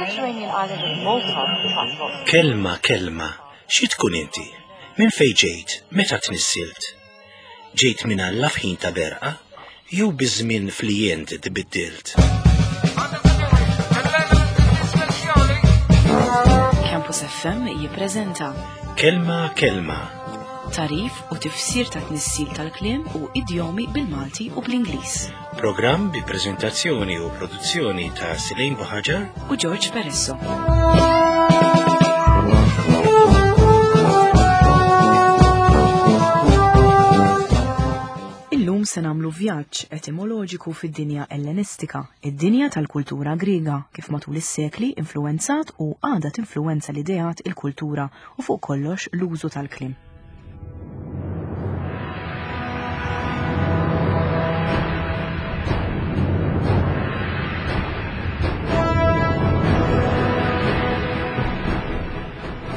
Mediterranean island of Malta transport. Kelma, kelma, xi tkun inti? Minn fejn ġejt? Meta tnissilt? Ġejt minn Alla f'ħin ta' berqa? Jew biż-żmien fl-jent tbiddilt? Campus FM jippreżenta Kelma, kelma, tarif u tifsir ta' tnissil tal-kliem u idjomi bil-Malti u bl-Ingliż. Programm bi preżentazzjoni u produzzjoni ta' Silejn Buħaġar u George Peresso. Illum se nagħmlu vjaġġ etimoloġiku fid-dinja Ellenistika, id-dinja tal-kultura Griega, kif matul is-sekli influwenzat u għadha tinfluwenza l-ideat, il-kultura u fuq kollox l-użu tal-kliem.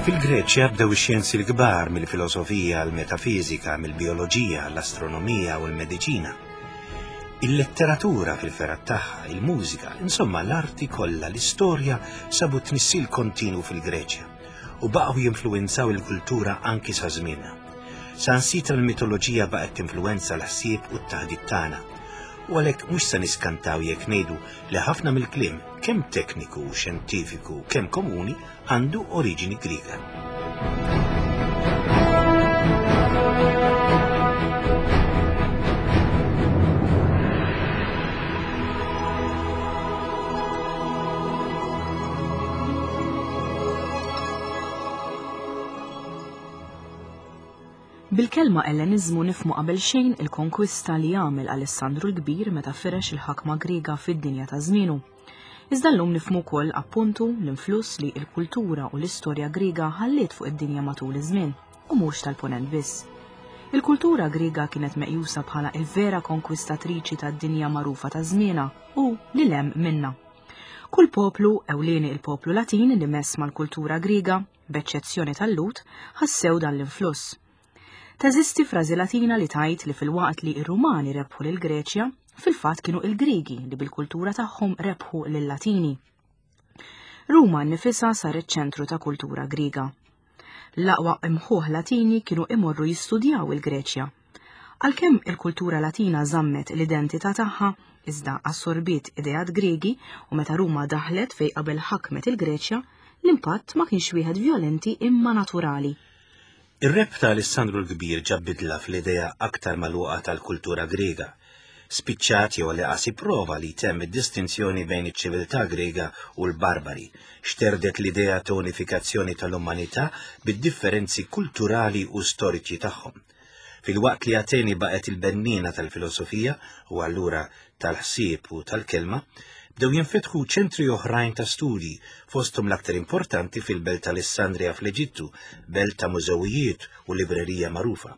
Fil-Greċja bdew ix-xjenzi l-kbar mill-filosofija għall-metafiżika, mill-bijoloġija għall-astronomija u l-mediċina. Il-letteratura fil-fergħat tagħha, il-mużika, insomma l-arti kollha, l-istorja sabu tnissil kontinu fil-Greċja. u baqgħu jinfluwenzaw il-kultura anki sa żmienna. Saħansitra l-mitoloġija baqgħet tinfluwenza l-ħsieb u t-taħdit tagħna. U għalhekk mhux se niskantaw jekk ngħidu li ħafna mill-kliem, kemm tekniku u xjentifiku kemm komuni, għandu oriġini Griega. Bil-kelma Elleniżmu nifhmu qabelxejn il-konkwista li għamel Alessandru l-Kbir meta firex il-ħakma Griega fid-dinja ta' żmienu. Iżda llum nifhmu wkoll appuntu l-influss li l-kultura u l-istorja Griega ħalliet fuq id-dinja matul iż-żmien, u mhux tal-Punent biss. Il-kultura Griega kienet meqjusa bħala il-vera konkwistatriċi tad-dinja magħrufa ta' żmienha u lil hemm minnha. Kull poplu, ewlieni il-poplu Latin li mess mal-kultura Griega, b'eċċezzjoni tal-Lhud, ħassew dan l-influss. Teżisti frażi Latina li tgħid li filwaqt li r-Rumani rebħu lill-Greċja, fil-fatt kienu il-Griegi li bil-kultura tagħhom rebħu lil-Latini. Ruma nnifisha saret ċentru ta' kultura Griega. L-aqwa imħuħ Latini kienu imorru jistudjaw il-Greċja. Għalkemm il-kultura Latina żammet l-identità tagħha, iżda assorbiet ideat Griegi u meta Ruma daħlet fejn qabel ħakmet il-Greċja, l-impatt ma kienx wieħed vjolenti imma naturali. Ir-rebħ ta' Alessandru l-Kbir ġab bidla fl-idea aktar magħluqa tal-kultura Griega. Spiċċat jew għall-inqas ipprova li jtemm id-distinzjoni bejn iċ-ċiviltà Griega u l-barbari. Xterdet l-idea ta' unifikazzjoni tal-umanità bid-differenzi kulturali u storiċi tagħhom. Filwaqt li Ateni baqgħet il-benniena tal-filosofija u allura tal-ħsieb u tal-kelma, bdew jinfetħu ċentri oħrajn ta' studji, fosthom l-aktar importanti fil-belt Alessandria fl-Eġittu, belt ta' mużewijiet u librerija magħrufa.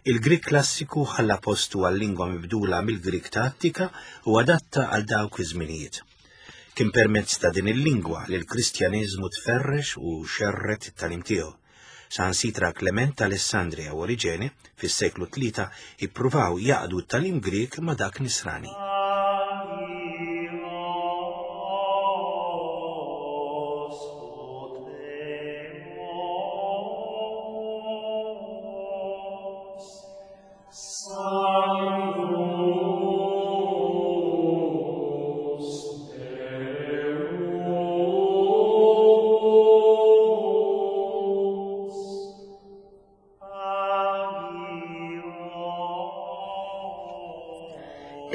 Il-Grieg klassiku ħalla postu għal lingwa mibdula mill-Grieg ta' Attika u adatta għal dawk iż-żminijiet. Kien permezz ta' din il-lingwa li l-Kristjaniżmu tferrex u xerred it-tagħlim tiegħu. Saħansitra Klement ta' Alessandria u Oriġene fis-seklu tlieta ippruvaw jaqdu t-tagħlim Grieg ma' dak Nisrani.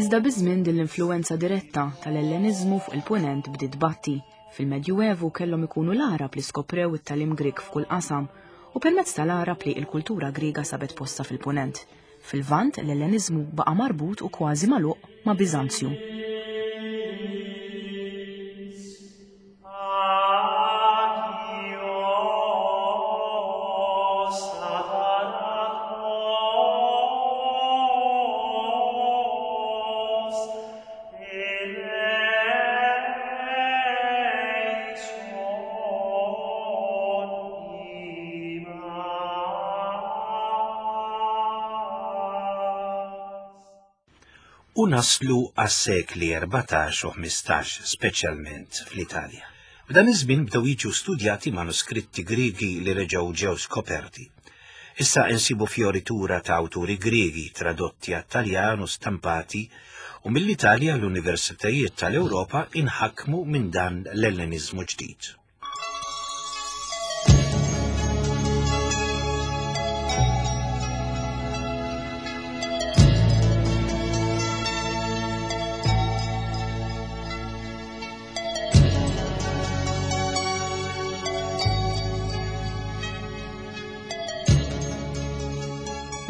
Iżda biż-żmien din l-influwenza diretta tal-Elleniżmu fuq il-Punent bdiet tbatti. Fil-Medjuevu kellhom ikunu l-Għarab li skoprew it-tagħlim Grieg f'kull qasam u permezz tal-Għarab li l-kultura Griega sabet postha fil-Punent. Fil-Lvant, l-Elleniżmu baqa' marbut u kważi magħluq ma' Biżanzju. U naslu għas-sekli 14 u 15, speċjalment fl-Italja. F'dan iż-żmien bdew jiġu studjati manuskritti Griegi li reġgħu ġew skoperti. Issa insibu fjoritura ta' awturi Griegi tradotti għat-Taljan u stampati u mill-Italja l-universitajiet tal-Ewropa inħakmu minn dan l-Elleniżmu ġdid.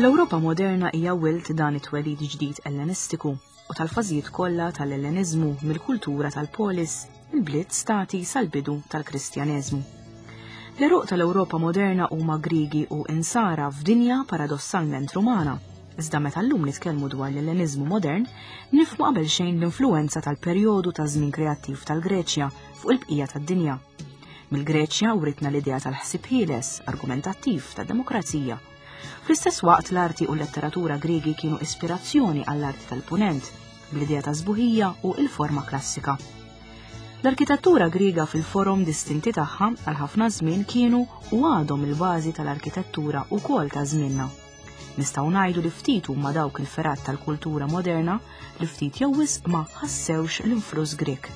L-Ewropa moderna hija wilt dan it-twelid ġdid Ellenistiku u tal-fażijiet kollha tal-Elleniżmu mill-kultura tal-polis, il-bliet stati sal-bidu tal-Kristjaneżmu. L-għeruq tal-Ewropa moderna huma Griegi u Insara f'dinja paradossalment Rumana. Iżda meta llum nitkellmu dwar l-Elleniżmu modern, nifhmu qabelxejn l-influwenza tal-perjodu ta' żmien kreattiv tal-Greċja fuq il-bqija tad-dinja. Mill-Greċja writna l-idea tal-ħsieb ħieles, argumentattiv, tad-demokrazija. Fl-istess waqt l-arti u l-letteratura Griegi kienu ispirazzjoni għall-arti tal-Punent, bl-idea ta' sbuħija u l-forma klassika. L-arkitettura Griega fil-forom distinti tagħha għal ħafna żmien kienu u għadhom il-bażi tal-arkitettura wkoll ta' żmienna. Nistgħu ngħidu li ftit huma dawk il-fergħat tal-kultura moderna li ftit jew wisq ma ħassewx l-influss Grieg.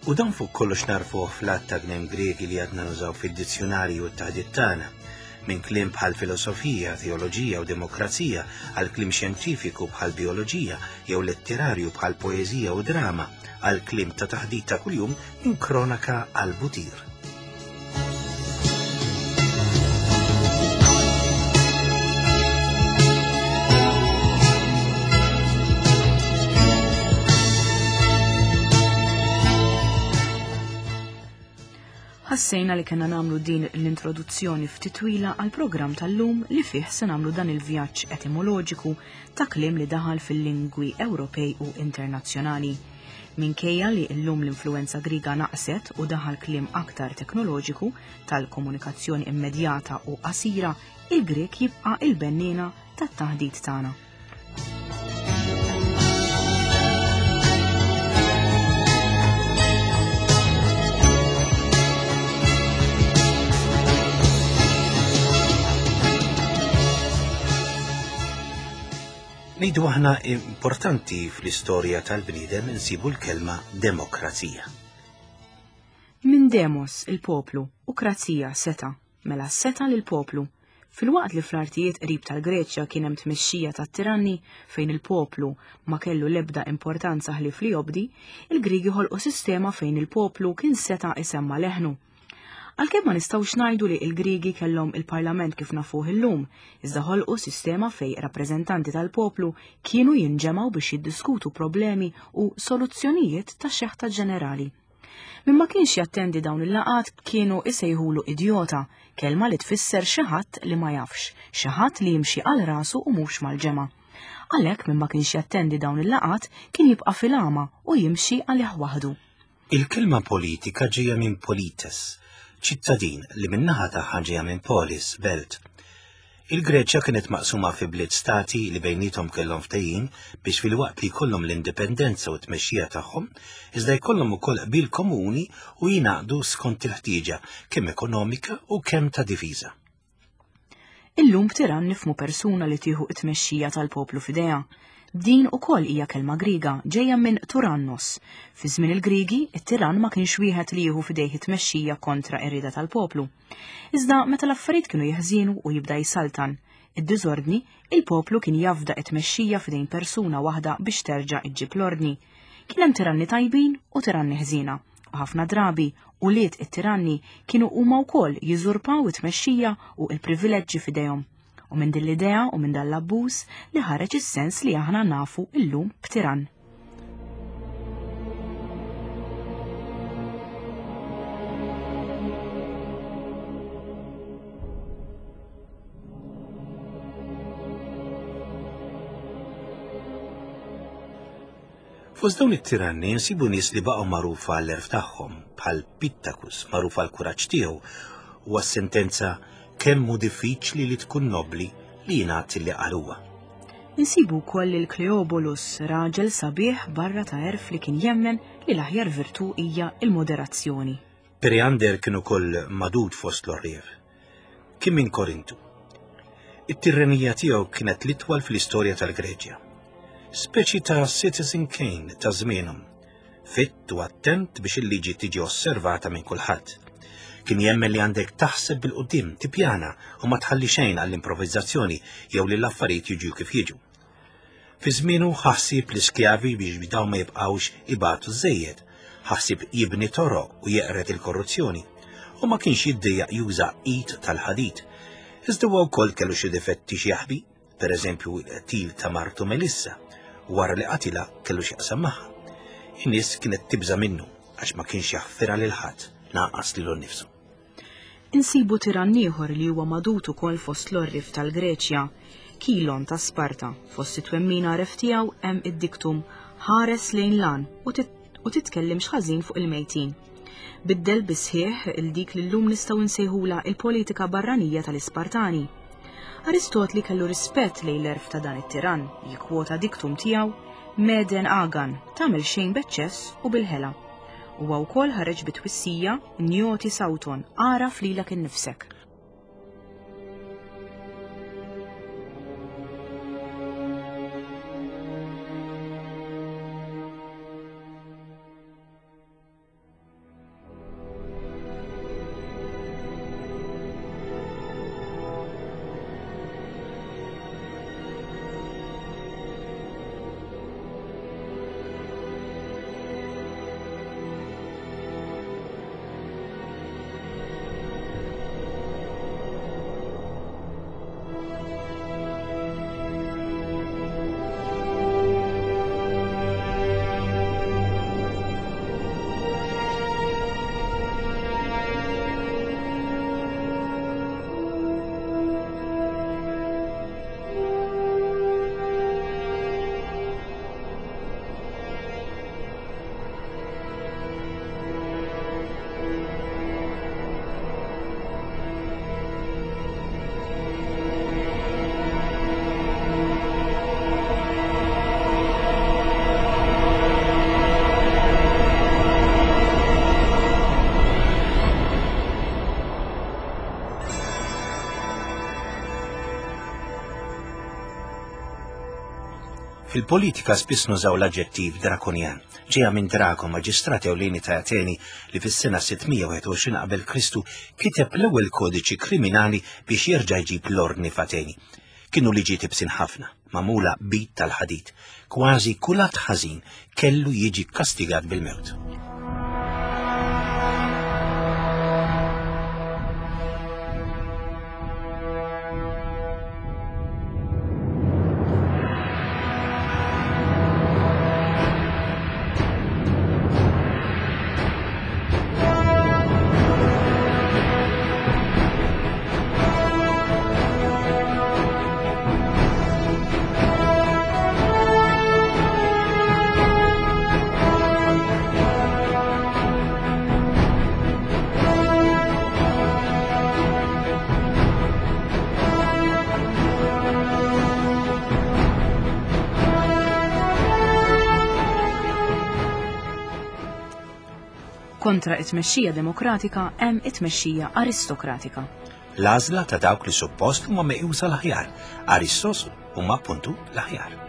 U dan fuq kollox narfuh fl-għadd ta' gniem Griegi li għadna nużaw fid-dizzjunarji u t-taħdit tagħna, minn kliem bħal filosofija, teoloġija u demokrazija għal kliem xjentifiku bħal bijoloġija jew letterarju bħal poeżija u drama għal kliem ta' taħdit ta' kuljum minn kronaka għal butir. Ħassejna li kellna nagħmlu din l-introduzzjoni ftit twila għall-programm tal-lum li fih se nagħmlu dan il-vjaġġ etimoloġiku ta' kliem li daħal fil-lingwi Ewropej u internazzjonali. Minkejja li llum l-influwenza Griega naqset u daħal kliem aktar teknoloġiku tal-komunikazzjoni immedjata u qasira, il-Grieg jibqa' il-benniena tat-taħdit tagħna. Ngħidu aħna importanti fl-istorja tal-bniedem insibu l-kelma demokrazija. Minn demos, il-poplu, u krazija, seta, mela seta lill-poplu. Filwaqt li fl-artijiet qrib tal-Greċja kien hemm tmexxija tat-tiranni fejn il-poplu ma kellu l-ebda importanza ħlief li jobdi, il-Griegi ħolqu sistema fejn il-poplu kien seta' isemma' leħnu. Għalkemm ma nistgħux ngħidu li l-Griegi kellhom il-parlament kif nafuh illum, iżda ħolqu sistema fejn rappreżentanti tal-poplu kienu jinġemgħu biex jiddiskutu problemi u soluzzjonijiet ta' xeħta ġenerali. Min ma kienx jattendi dawn il-laqgħat kienu isejħulu idjota, kelma li tfisser xi ħadd li ma jafx, xi ħadd li jimxi għal rasu u mhux mal-ġemgħa. Għalhekk min ma kienx jattendi dawn il-laqgħat kien jibqa' fil-għama u jimxi għalih waħdu. Il-kelma politika ġejja minn polites, ċittadin li min-naħa tagħha ġejja minn polis, belt. Il-Greċja kienet maqsuma fi bliet stati li bejniethom kellhom ftehim biex filwaqt li jkollhom l-indipendenza u t-tmexxija tagħhom, iżda jkollhom ukoll qbil komuni u jingħaqdu skont il-ħtieġa kemm ekonomika u kemm ta' difiża. Illum b'tirann nifhmu persuna li tieħu t-tmexxija tal-poplu f'idejha. Din ukoll hija kelma Griega ġejja minn turannos. Fi żmien il-Griegi, it-tirann ma kienx wieħed li jieħu f'idejh it-tmexxija kontra r-rieda tal-poplu. Iżda meta l-affarijiet kienu jeħżienu u jibda jsaltan id-diżordni, il-poplu kien jafda t-tmexxija f'idejn persuna waħda biex terġa' ġġib l-ordni. Kien hemm tiranni tajbin u tiranni ħżiena. U ħafna drabi, ulied it-tiranni kienu huma wkoll jiżurpaw it-tmexxija u l-privileġġi f'idejhom. U minn din l-idea u minn dan l-abbuż li ħareġ is-sens li aħna nafu illum b'tirann. Fost dawn it-tiranni nsibu nies li baqgħu magħrufa għall-għerf tagħhom, bħal Pittacus, magħruf għall-kuraġġ tiegħu u għas-sentenza kemm hu diffiċli li tkun nobbli li jingħad li qal huwa. Insibu wkoll lil Kleobolus, raġel sabiħ barra ta' għerf li kien jemmen li l-aħjar virtù hija l-moderazzjoni. Periander kien ukoll magħdud fost l-għorrief. Kien minn Korintu. It-tirrenija tiegħu kienet l-itwal fl-istorja tal-Greċja. Speċi ta' Citizen Kane ta' żmienhom. Fitt u attent biex il-liġi tiġi osservata minn kulħadd. Kien jemmen li għandek taħseb bil-qudiem, tippjana u ma tħalli xejn għall-improvvizzazzjoni jew li l-affarijiet jiġu kif jiġu. Fi żmienu ħa ħsieb l-iskjavi biex dawn ma jibqgħux ibatu żejjed, ħa ħsieb jibni toroq u jeqred il-korruzzjoni, u ma kienx jiddejjaq juża id tal-ħadid. Iżda huwa wkoll kellu xi difetti x'jaħbi, pereżempju l-qtil ta' martu Melissa, wara li qatilha kellu x'jaqsam magħha. In-nies kienet tibża' minnu għax ma kienx jaħfirha lil ħadd, lanqas lilu nnifsu. Insibu tirann ieħor li huwa magħdud ukoll fost l-għorrief tal-Greċja, Kilon ta' Sparta. Fost it-twemmin għaref tiegħu hemm id-diktum ħares lejn l-għan u titkellimx ħażin fuq il-mejtin. Biddel bis-sħiħ il dik li llum nistgħu nsejħulha il-politika barranija tal-Ispartani. Aristotli kellu rispett lejn l-għerf ta' dan it-tirann, jikkwota diktum tiegħu Meden agan, tagħmel xejn b'eċċess u bil-ħela. Huwa wkoll ħareġ bi twissija Njoti Sauton, agħraf lilek innifsek. Fil-politika spiss nużaw l-aġġettiv drakonjan, ġejja minn Drago, maġistrat ewlieni ta' Ateni li fis-sena 621 qabel Kristu kiteb l-ewwel kodiċi kriminali biex jerġa' jġib l-ordni f'Ateni. Kienu liġijiet ibsin ħafna, magħmula b'id tal-ħadid. Kważi kull att ħażin kellu jiġi kkastigat bil-mewt. Kontra it-tmexxija demokratika hemm it-tmexxija aristokratika. L-għażla ta' dawk li suppost huma meqjusa l-aħjar, aristos huma appuntu l-aħjar.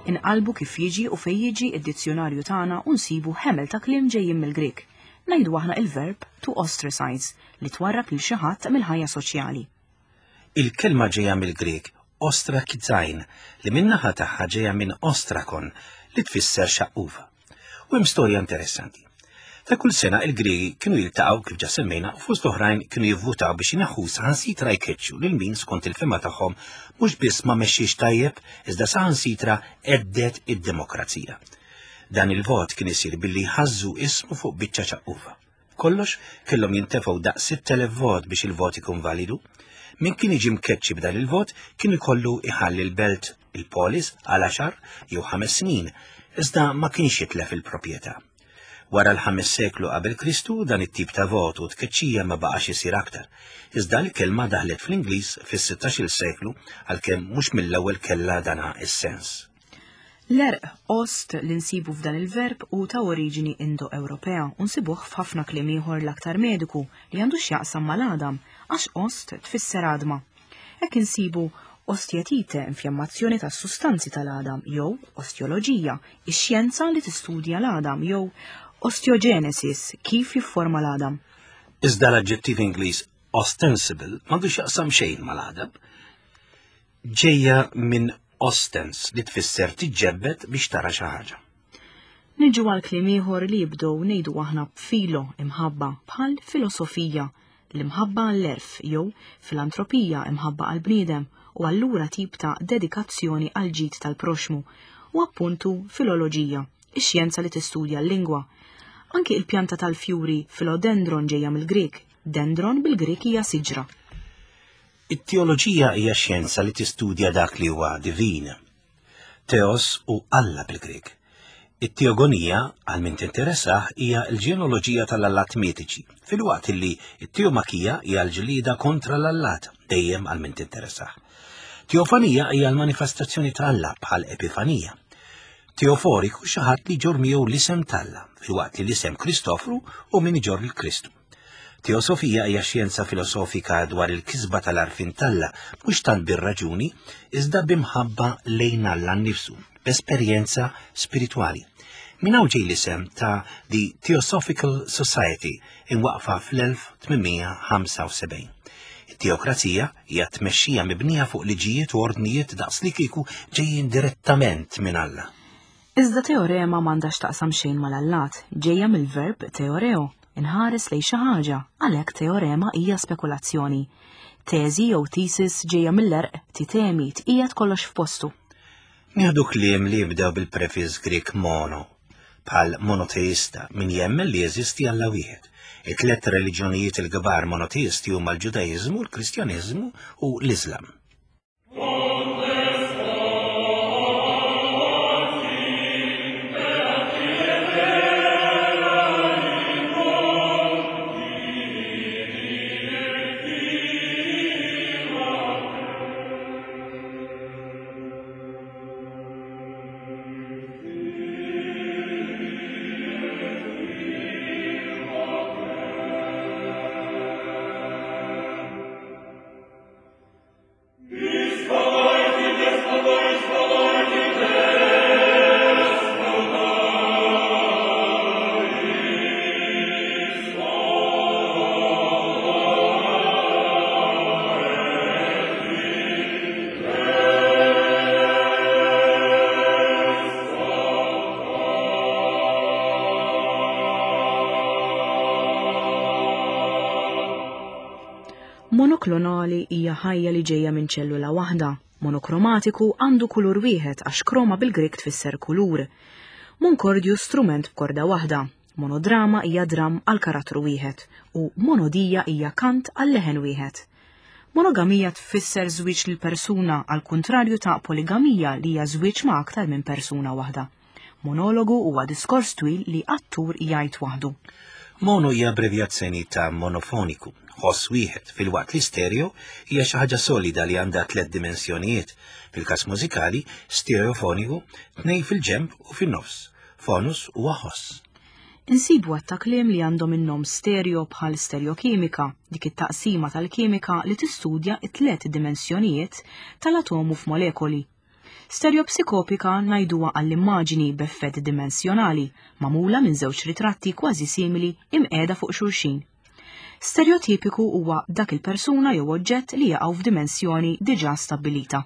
Inqalbu kif jiġi u fejn jiġi id-dizzjunarju tagħna u nsibu ħemel ta' kliem ġejjin mill-Grieg. Ngħidu aħna il-verb to ostracize li twarrab lil xi ħadd mill-ħajja soċjali. Il-kelma ġejja mill-Grieg ostrakizain li min-naħa tagħha ġejja minn ostrakon li tfisser xaqqufa. U hemm storja interessanti. Ta' kull sena il-Griegi kienu jiltaqgħu kif ġa semmejna u fost oħrajn kienu jivvutaw biex ineħħu saħansitra jkeċċu lil min skont il-fehma tagħhom mhux biss ma mexxiex tajjeb iżda saħansitra għeddet id-demokrazija. Dan il-vot kien isir billi jħażżu ismu fuq biċċa ċaqqufa. B'kollox kellhom jintefgħu daqs 6,000 vot biex il-vot ikun validu. Min kien jiġi mkeċċi b'dan il-vot kien ikollu iħalli l-belt, il-polis, għal għaxar jew ħames snin, iżda ma kienx jitlef il-proprjetà. Wara l-ħames seklu qabel Kristu dan it-tip ta' vot u tkeċċija ma baqax isir aktar. Iżda l-kelma daħlet fl-Ingliż fis-16-il seklu għalkemm mhux mill-ewwel kellha dana is-sens. L-għerq ost li nsibu f'dan il-verb hu ta' oriġini Indo-Ewropea u nsibuh f'ħafna kliem ieħor l-aktar mediku li għandu x'jaqsam mal-għadam għax ost tfisser għadma. Hekk insibu ostjetite, infjammazzjoni tas-sustanzi tal-għadam, jew ostjoloġija, ix-xjenza li tistudja l-għadam, jew osteogenesis, kif jifforma l-għadam. Iżda l-aġġettiv Ingliż ostensible m'għandu x'jaqsam xejn mal-għadam. Ġejja minn ostens li tfisser tiġġebbed biex tara xi ħaġa. Niġu għal kliem ieħor li jibdew ngħidu aħna b'filo imħabba bħal filosofija, l-imħabba għall-għerf jew filantropija imħabba għall-bniedem u allura tip ta' dedikazzjoni għall-ġid tal-proxxmu u appuntu filoloġija, ix-xjenza li tistudja l-lingwa. Anki il-pjanta tal-fjuri philodendron ġejja mill-Grieg, dendron bil-Grieg hija siġra. It-teoloġija hija xjenza li tistudja dak li huwa divin. Theos hu Alla bil-Grieg. It-teogonija, għal min tinteressah, hija l-ġenealoġija tal-allat mitiċi, filwaqt li t-teomakija hija l-ġlieda kontra l-allat, dejjem għal min tinteressah. Teofanija hija l-manifestazzjoni ta' Alla bħal epifanija. Teoforiku xi ħadd li jġorr miegħu l-isem t'Alla, filwaqt li l-isem Kristofru hu min iġorr il-Kristu. Teosofija hija xjenza filosofika dwar il-kisba tal-għarfien t'Alla, mhux tant bir-raġuni, iżda b'imħabba lejn Alla nnifsu, b'esperjenza spiritwali. Minn hawn ġej l-isem ta' The Theosophical Society imwaqqfa fl-1875. It-teokrazija hija tmexxija mibnija fuq liġijiet u ordnijiet daqslikieku ġejjin direttament minn Alla. Iżda teorema m'għandha x'taqsam xejn mal-allat, ġejja mill-verb teoreo, inħares lejn xi ħaġa, għalhekk teorema hija spekulazzjoni. Teżi jew thesis ġejja mill-għerq titemi, tqiegħed kollox f'postu. Nieħdu kliem li jibdew bil-prefiss Grieg mono, bħal monoteista, min jemmen li jeżisti Alla wieħed. It-tlet reliġjonijiet il-kbar monoteisti huma l-Ġudaiżmu, l-Kristjaneżmu u l-Iżlam. Monoklonali hija ħajja li ġejja minn ċellula waħda. Monokromatiku għandu kulur wieħed għax kroma bil-Grieg tfisser kulur. Monkordju strument b'korda waħda. Monodrama hija dramm għal karattru wieħed u monodija hija kant għal leħen wieħed. Monogamija tfisser żwieġ lil persuna għal kuntrarju ta' poligamija li hija żwieġ ma' aktar minn persuna waħda. Monologu huwa diskors twil li attur jgħid waħdu. Mono hija abbrevjazzjoni ta' monofoniku, ħoss wieħed, filwaqt li stereo hija xi ħaġa solida li għandha tliet dimensjonijiet. Fil-każ mużikali, stereofoniku, tnejn fil-ġenb u fin-nofs. Fonus huwa ħoss. Insibu għadd ta' kliem li għandhom in-nom stereo bħal stereokimika, dik it-taqsima tal-kimika li tistudja t-tliet dimensjonijiet tal-atomu f'molekoli. Stereopsikopika ngħiduha għall-immaġini b'effett dimensjonali, magħmula minn żewġ ritratti kważi simili imqiegħda fuq xulxin. Stereotipiku huwa dak il-persuna jew oġġett li jaqgħu f'dimensjoni diġà stabbilita.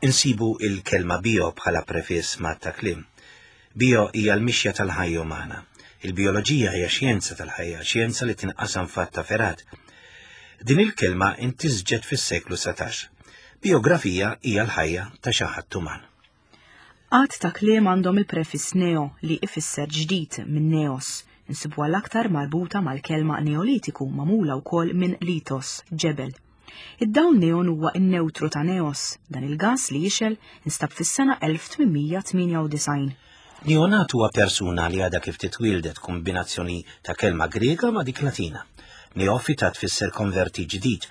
Insibu il-kelma bio bħala prefiss ma' ta' kliem. Bio hija l-mixja tal-ħajja umana. Il-bijoloġija hija xjenza tal-ħajja, xjenza li tinqasam f'għadd ta' fergħat. Din il-kelma intisġet fis-seklu 19. Bijografija hija l-ħajja ta' xi ħadd uman. Għadd ta' kliem għandhom il-prefiss neo li ifisser ġdid minn neos. Insibuha l-aktar marbuta mal-kelma neolitiku magħmula wkoll minn lithos, ġebel. Id-dawl neon huwa n-newtru ta' neos. Dan il-gass li jixgħel instab fis-sena 1898. Neonat huwa persuna li għadha kif titwieldet kombinazzjoni ta' kelma Griega ma' dik Latina. Neofita tfisser konverti ġdid.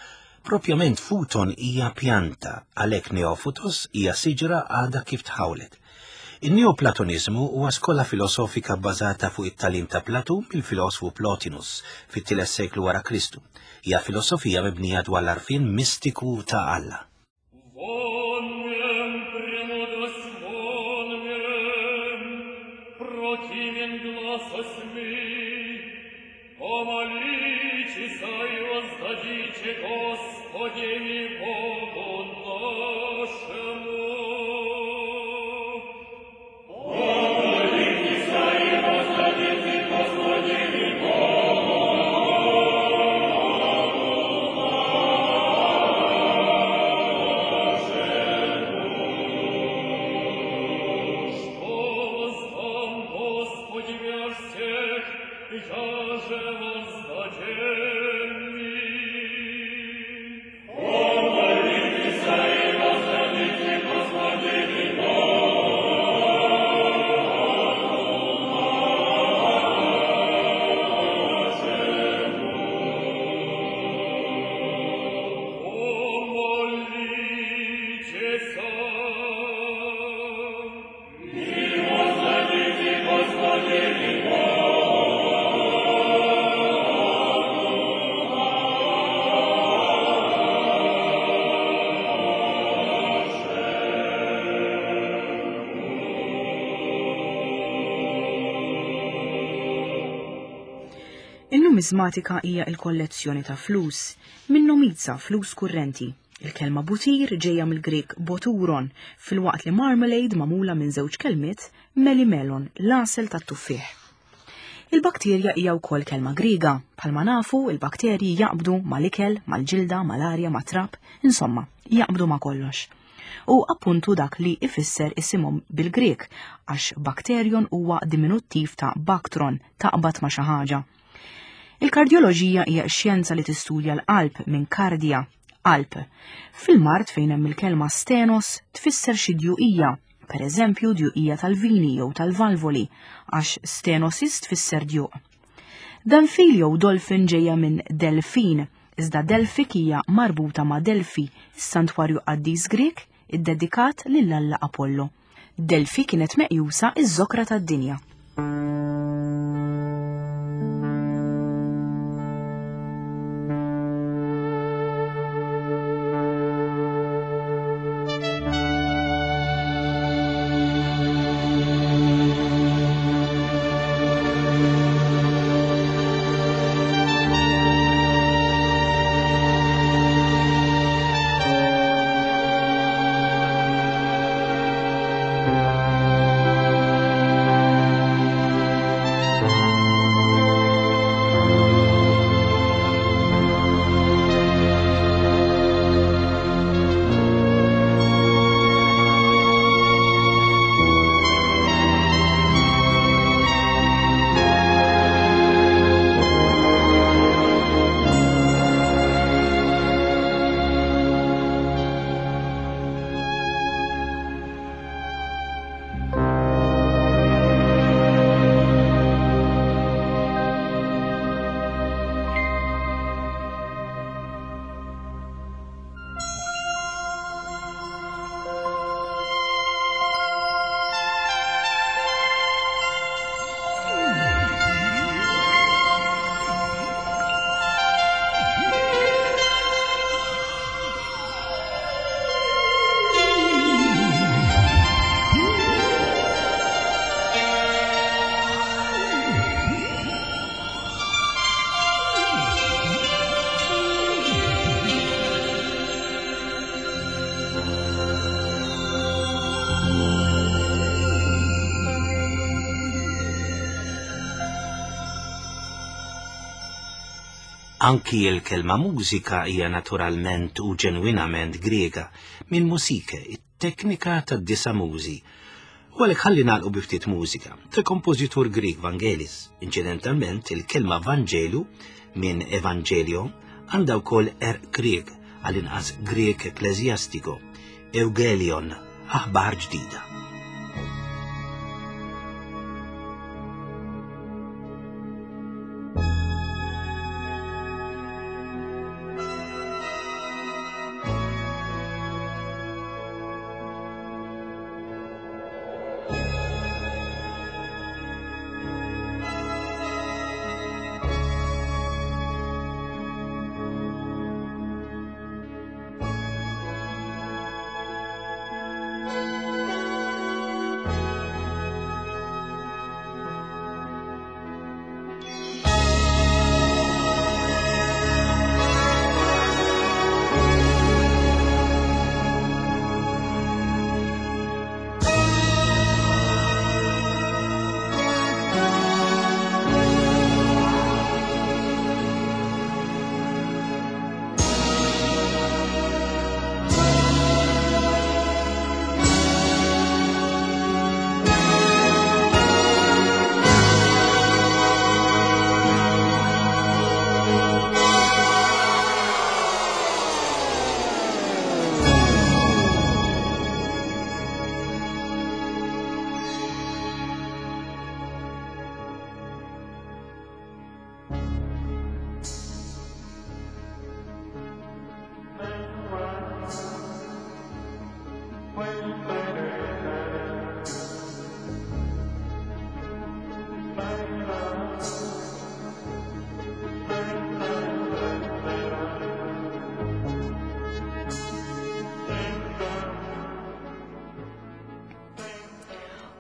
Propjament futon hija pjanta, għalhekk neofutos hija siġra għadha kif tħawlet. In-Neoplatoniżmu huwa skola filosofika bbażata fuq it-tagħlim ta' Platun mill-filosfu Plotinus fit-tielet seklu wara Kristu. Hija filosofija mibnija dwar l-għarfien mistiku ta' Alla. In-numismatika hija l-kollezzjoni ta' flus, minn nomiza flus kurrenti. Il-kelma butir ġejja mill-Grieg boturon, filwaqt li marmalade magħmula minn żewġ kelmiet melimelon, l-għasel tat-tuffieħ. Il-bakterja hija wkoll kelma Griega. Bħalma nafu, il-bakterji jaqbdu mal-ikel, mal-ġilda, mal-arja, mat-trab, insomma, jaqbdu ma' kollox. U appuntu dak li ifisser isimhom bil-Grieg, għax bakterion huwa diminuttiv ta' baktron, taqbad ma' xi ħaġa. Il-kardjoloġija hija x-xjenza li tistudja l-qalb minn kardja, qalb. Fil-mard fejn hemm il-kelma stenos tfisser xi djuqija, per eżempju djuqija tal-vini jew tal-valvoli, għax stenosis tfisser djuq. Danfil jew dolphin ġejja minn delfin, iżda Delfik hija marbuta ma' Delfi, is-santwarju qaddis Grieg iddedikat lil Alla Apollo. Delfi kienet meqjusa iż-żokra tad-dinja. Anki l-kelma mużika hija naturalment u ġenwinament Griega, minn musike, it-teknika tad-disa' mużi. U għalhekk ħalli nagħlqu bi ftit mużika tal-kompożitur Grieg Vangelis. Inċidentalment, il-kelma Vangelu minn Evangelio għandha wkoll għerq Grieg, għall-inqas Grieg ekkleżjastiko, Eugelion, aħbar ġdida.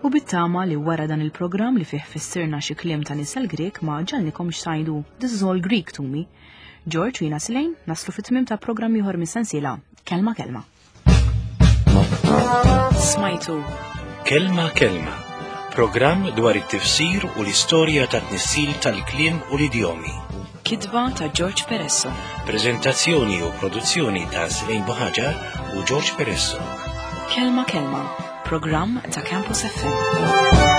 U bit-tama li wara dan il-programm li fih fissirna xi kliem ta' nisel Grek ma ġalnikomx tgħidu "This is all Greek to me". George u jiena Silejn naslu fit-tmiem ta' programm ieħor mis-sensiela Kelma Kelma. Smajtu Kelma Kelma, programm dwar it-tifsir u l-istorja ta' tnissil tal-kliem u l-idjomi. Kitba ta' George Peresso. Prezentazzjoni u produzzjoni ta' Slejn Buħaġar u George Peresso. Kelma Kelma, programm ta' Campus FM.